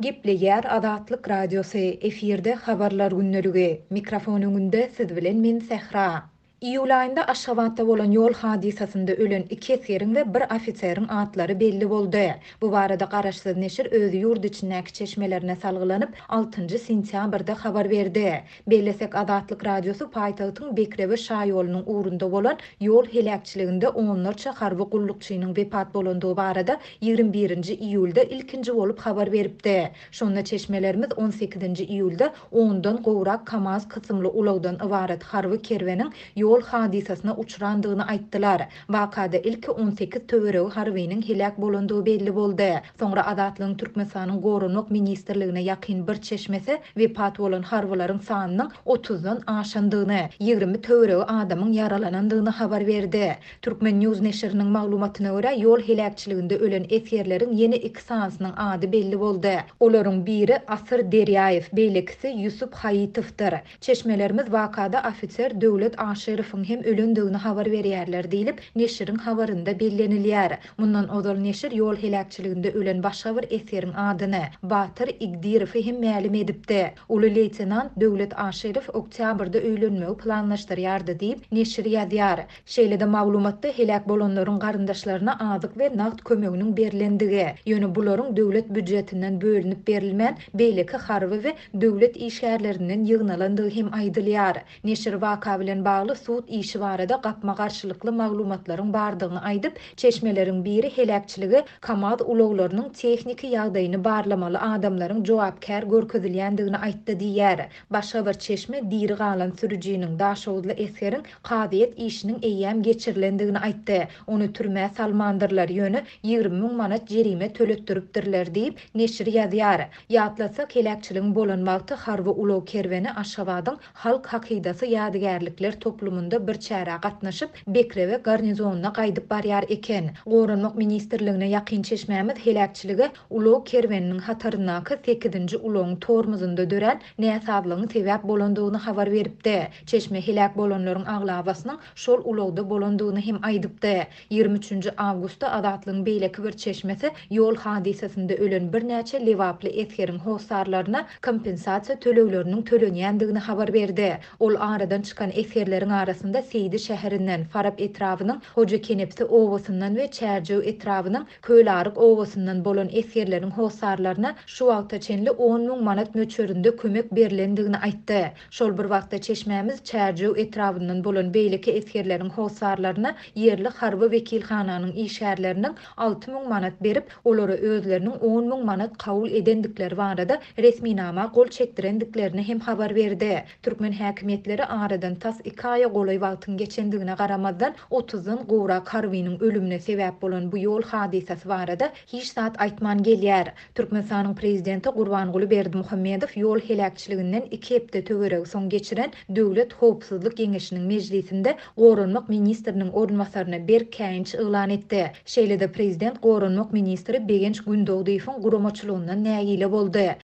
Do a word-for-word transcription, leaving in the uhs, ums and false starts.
Gepleýär Azatlyk Radiosy, efirde Habarlar gündeligi. Mikrofon öňünde siz bilen men Sähra. Iýul aýynda Aşgabatda bolan ýol hadysasynda ölen iki esgeriň we bir ofiseriň atlary belli boldy. Bu barada garaşsyz neşir öz ýurt içindäki çeşmelerine salgylanyp, altynjy sentýabrda habar berdi. Bellesek, Azatlyk Radiosy paýtagtyň Bekrewe şaýolunyň ugrunda bolan ýol heläkçiliginde onlarça harby gullukçynyň wepat bolandygy barada ýigrimi birinji iýulda ilkinji bolup habar beripdi. Şonda çeşmelerimiz on sekizinji iýulda ondan gowrak KAMAZ kysymly ulagdan ybarat harby kerweniň ýol hadysasyna uçrandygyny aýtdylar. Wakada ilki on sekiz töweregi harbynyň heläk bolandygy belli boldy. Soňra Azatlygyň Türkmenistanyň Goranmak ministrligine ýakyn bir çeşmesi wepat bolan harbylaryň sanynyň otuzdan aşandygyny, ýigrimi töweregi adamyň ýaralanandygyny habar berdi. Türkmen News neşiriniň maglumatyna görä, ýol heläkçiliginde ölen esgerleriň ýene iki sanysynyň ady belli boldy. Olaryň biri Asyr Derýaýew, beýlekisi Ýusup Haýytowdyr. Çeşmelerimiz wakada ofiser Döwlet Aşyrowyň hem ölendigini habar berýärler diýlip, neşiriň habarynda bellenilýär. Mundan ozal neşir ýol heläkçiliginde ölen başga bir esgeriň adyny Batyr Igdirowy hem mälim edipdi. Uly leýtenant Döwlet Aşyrow oktýabrda öýlenmegi planlaşdyrýardy diýip, neşir ýazýar. Şeýle-de maglumatda heläk bolanlaryň garyndaşlaryna azyk we nagt kömeginiň berilendigi, ýöne bularyň döwlet býujetinden bölünip berilmän, beýleki harby we döwlet işgärlerinden ýygnalandygy hem aýdylýar. Neşir waka bilen bagly sud işi barada gapma-garşylykly maglumatlaryň bardygyny aýdyp, çeşmeleriň biri heläkçiligi KAMAZ ulaglarynyň tehniki ýagdaýyny barlamaly adamlaryň jogapkär görkezilýändigini aýtdy diýýär. Başga bir çeşme diri galan sürüjiniň, Daşoguzly esgeriň kazyýet işiniň eýýäm geçirilendigini aýtdy. Ony türmä salmandyrlar, ýöne ýigrimi müň manat jerime töletdiripdirler diýip, neşir ýazýar. Ýatlatsak, heläkçiligiň bolan wagty harby ulag kerweni Aşgabadyň Halk hakydasy ýadygärlikler toplumynda bir çärä gatnaşyp, Bekrewe garnizonyna gaýdyp barýar eken. Goranmak ministrligine ýakyn çeşmämiz heläkçilige ulag kerweniniň hataryndaky sekizinji ulagyň tormozunda dörän näsazlygyň sebäp bolandygyny habar beripdi. Çeşme heläk bolanlaryň aglabasynyň şol ulagda bolandygyny hem aýdypdy. Ýigrimi üçünji awgustda Azatlygyň beýleki bir çeşmesi ýol hadysasynda ölen birnäçe lebaply esgeriň hossarlaryna kompensasiýa tölegleriniň tölenýändigini habar berdi. Ol aradan çykan esgerleriň arasynda Seýdi şäherinden, Farap etrabynyň Hoja Kenepsi obasyndan we Çärjew etrabynyň Kölaryk obasyndan bolan esgerleriň hossarlaryna şu wagta çenli on müň manat möçberinde kömek berilendigini aýtdy. Şol bir wagtda çeşmämiz Çärjew etrabyndan bolan beýleki esgerleriň hossarlaryna ýerli harby wekilhananyň işgärleriniň alty müň manat berip, olara özleriniň on müň manat kabul edendikleri barada resminama gol çekdirendiklerini hem habar berdi. Türkmen häkimiýetleri aradan tas iki aýa golaý wagtyň geçendigine garamazdan otuzdan gowrak harbynyň ölümine sebäp bolan bu ýol hadysasy barada hiç zat aýtman gelýär. Türkmenistanyň prezidenti Gurbanguly Berdimuhamedow ýol heläkçiliginden iki hepde töweregi soň geçiren Döwlet Howpsuzlyk Geňeşiniň mejlisinde Goranmak ministriniň orunbasaryna berk käýinç yglan etdi. Şeýle-de prezident Goranmak ministri Begenç Gündogdyýewiň guramaçylygyndan nägile boldy.